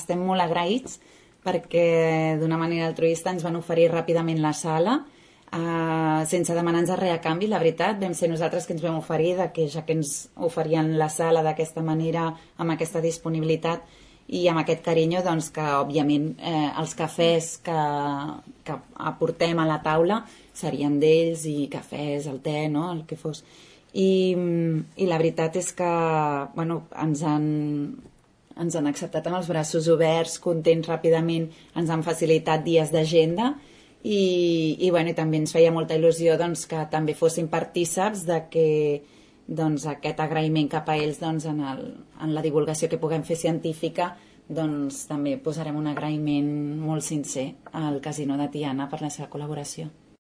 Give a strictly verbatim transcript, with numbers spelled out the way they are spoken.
estem molt agraïts perquè d'una manera altruista ens van oferir ràpidament la sala, uh, sense demanar-nos res a canvi, la veritat. Vam ser nosaltres que ens vam oferir, de que ja que ens oferien la sala d'aquesta manera, amb aquesta disponibilitat i amb aquest carinyo, doncs que, òbviament, eh, els cafès que, que aportem a la taula serien d'ells, i cafès, el te, no?, el que fos. I, i la veritat és que, bueno, ens han... ens han acceptat amb els braços oberts, contents ràpidament, ens han facilitat dies d'agenda i, i, bueno, i també ens feia molta il·lusió doncs, que també fossin partíceps de que doncs, aquest agraïment cap a ells doncs, en, el, en la divulgació que puguem fer científica, doncs també posarem un agraïment molt sincer al Casino de Tiana per la seva col·laboració.